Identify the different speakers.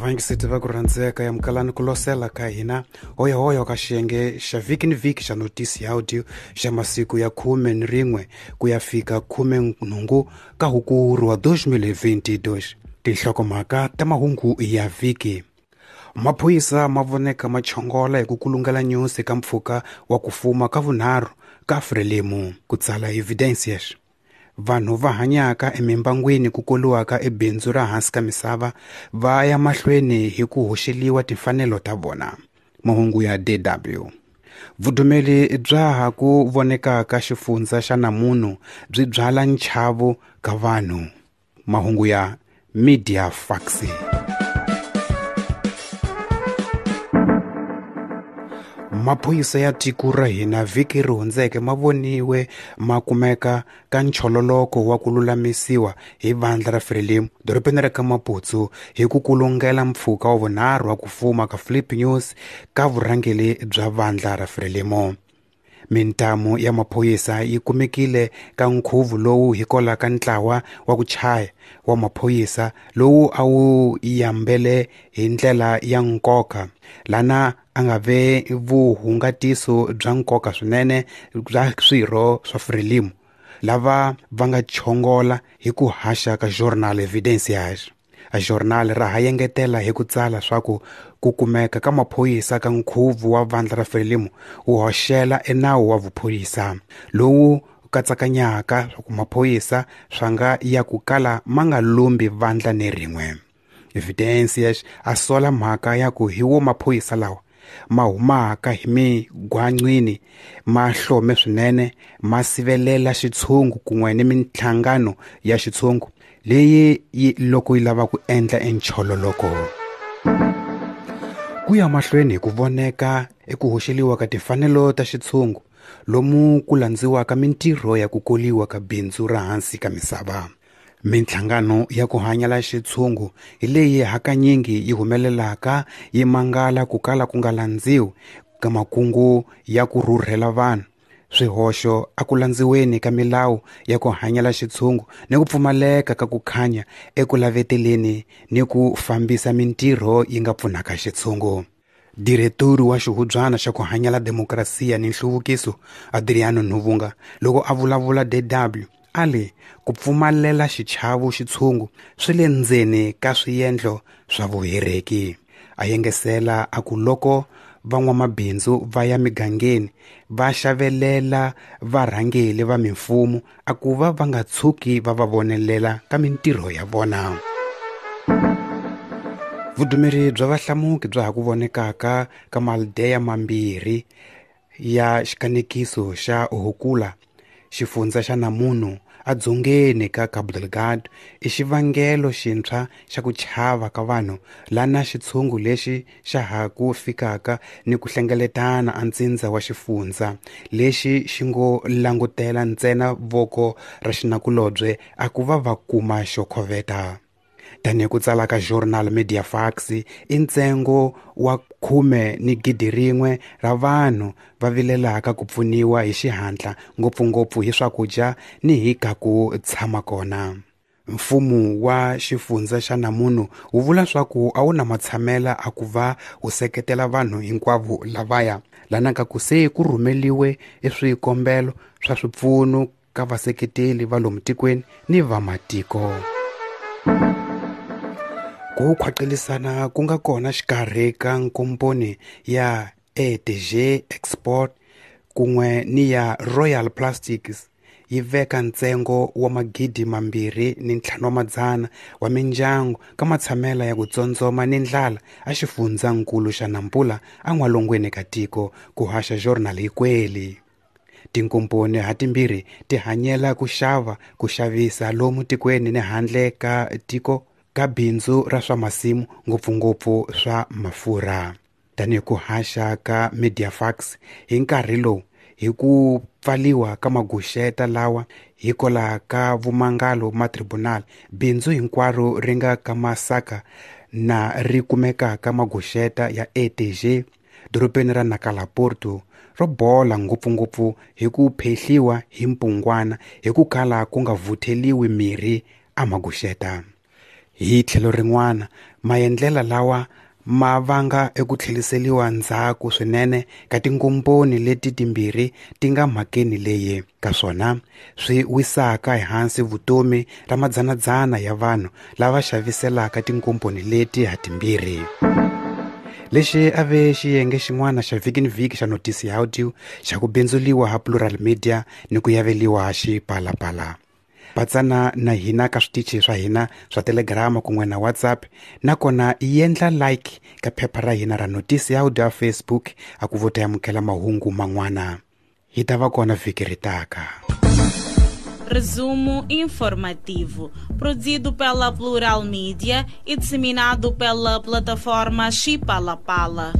Speaker 1: Vayingiseti va ku rhandzeka ya mukalani ku losela ka hina hoyohoyo ka xiyenge xa vhiki ni vhiki xa notisi ya audio xa masiku ya 11 ku ya fika 18 ka Hukuri wa 2022. Tinhlokomhaka ta mahungu ya vhiki. Maphorisa ma voneka ma chongola hi ku kulungela nyusi ka mpfhuka wa ku fuma ka vunharhu ka Frelimo, ku tsala Evidencias. Vanhu va hanyaka emimbangwini ku koliwaka ebindzu ra hansi ka misava va ya mahlweni hi ku hoxeliwa timfanelo ta vona. Mahungu ya DW. Vudumeli bya ha ku vonekaka xifundza xa namunhu byi byala nchavo ka vanhu. Mahungu ya Media Faxi. Maphorisa ya tiko ra hina vhiki ri hundzeke ma voniwe ma kumeka ka nchololoko wa ku lulamisiwa hi vandla ra Frelimo dorobeni ra ka Maputo hi ku kulungela mpfhuka wa vunharhu wa ku fuma ka Flip News ka vurhangeri bya vandla ra Frelimo. Mintamu ya maphorisa yi kumekile ka nkhuvo lowu hikwalaho ka ntlawa wa ku chaya wa maphorisa lowu a wu yambele hi ndlela ya nkoka lana a nga ve vuhungatiso bya nkoka swinene bya swirho swa Frelimo lava va nga chongola hi ku haxa ka Jornal Evidencias. A journal ra ha yengetela hi ku tsala swa ku ku kumeka ka maphorisa ka nkhuvo wa vandla ra Frelimo wu hoxela enawu wa vuphorisa lowu katsakanyaka swa ku maphorisa swa nga ya ku kala ma nga lumbi vandla ni rin'we. Evidencias a sola mhaka ya ku hi wo maphorisa lawa ma humaka hi migwaqwini ma hlome swinene ma sivelela xitshungu kun'we ni minhlangano ya xitshungu leyi yi loko yi lava ku endla enchololoko. Ku ya mahlweni hi ku voneka eku hoxeliwa ka timfanelo ta xitshungu lomu ku landziwaka mintirho ya ku koliwa ka bindzu ra hansi ka misava. Minhlangano ya ku hanyela xitshungu hi leyi hakanyingi yi humelelaka yi mangala ku kala ku nga landziwi ka makungu ya ku rhurhela vanhu. Swihoxo a ku landziweni ka milawu ya ku hanyela xitshungu ni ku pfumaleka ka ku khanya eku laveteleni ni ku fambisa mintirho yi nga pfunaka xitshungu. Diretori wa xihubyana xa ku hanyela demokrasiya ni nhluvukiso Adriano Nhuvunga loko a vulavula DW a li ku pfumalela xichavo xitshungu swi le ndzeni ka swiendlo swa vuhereki. A yengesela a ku loko van'wamabindzu va ya migangeni va xavelela varhangeri va mimfumo a ku va va nga tshuki va va vonelela ka mintirho ya vona. Vudumeri bya vahlamuki bya ha ku vonekaka ka maldeya mambirhi ya xikanekiso xa Hukula xifundza xa Namunhu adzongeni ka Cabo Delgado i xivangelo xintshwa xa ku chava ka vanhu lana xitshungu lexi xa ha ku fikaka ni ku hlengeletana antsindza wa xifundza lexi xi ngo langutela ntsena voko ra xinakulobye a ku va va kuma xo khoveta. Tanihi ku tsala ka Journal Media Fax i ntsengo wa 11,000 ra vanhu va vilelaka ku pfuniwa hi xihatla ngopfungopfu hi swakudya ni hi ka ku tshama kona. Mfumo wa xifundza xa Namunhu wu vula swa ku a wu na matshamela a ku va wu seketela vanhu hinkwavo lavaya lana ka ku se ku rhumeliwe eswikombelo swa swipfuno ka vaseketeli va lomu tikweni ni va matiko. Ku khwaqelisana ku nga kona xikarhi ka nkomponi ya ETG Export kun'we ni ya Royal Plastics yi veka ntsengo wa 2500 wa mindyangu ka matshamela ya ku tsondzoma ni ndlala a xifundzankulu xa Nampula an'walungwini ka tiko ku haxa Journal Ikweli. Tinkomponi hatimbirhi ti hanyela ku xava ku xavisa lomu tikweni ni handle ka tiko ka bindzu ra swa masimu ngopfungopfu swa mafurha. Tanihi ku haxa ka Mediafax hi nkarhi lowu hi ku pfaliwa ka maguxeta lawa hikwalaho ka vumangalo ma tribunal bindzu hinkwaro ri nga ka masaka na ri kumekaka maguxeta ya ETG dorobeni ra Nacala Porto ro bola ngopfungopfu hi ku phehliwa hi mpungwana hi ku kala ku nga vutheliwi mirhi a maguxeta. Hi tlhelo rin'wana, maendlela lawa ma vanga eku tlheliseliwa ndzhaku swinene ka tinkomponi leti timbirhi ti nga mhakeni leyi ka swona swi wisaka ehansi vutomi ra madzanadzana ya vanhu lava xaviselaka tinkomponi leti hatimbirhi. Lexi a ve xiyenge xin'wana xa vhiki ni vhiki xa Notisi ya Audio xa ku bindzuliwa ha Plural Media ni ku yaveliwa ha Xipalapala. Patsana na hina ka switichi swa hina swa Telegram kun'we na WhatsApp, nakona yendla like ka phepha ra hina ra Notisi ya Audio ya Facebook a ku vota amukela mahungu man'wana. Hi ta va kona vhiki ri taka.
Speaker 2: Resumo informativo, produzido pela Plural Mídia e disseminado pela plataforma Chipalapala.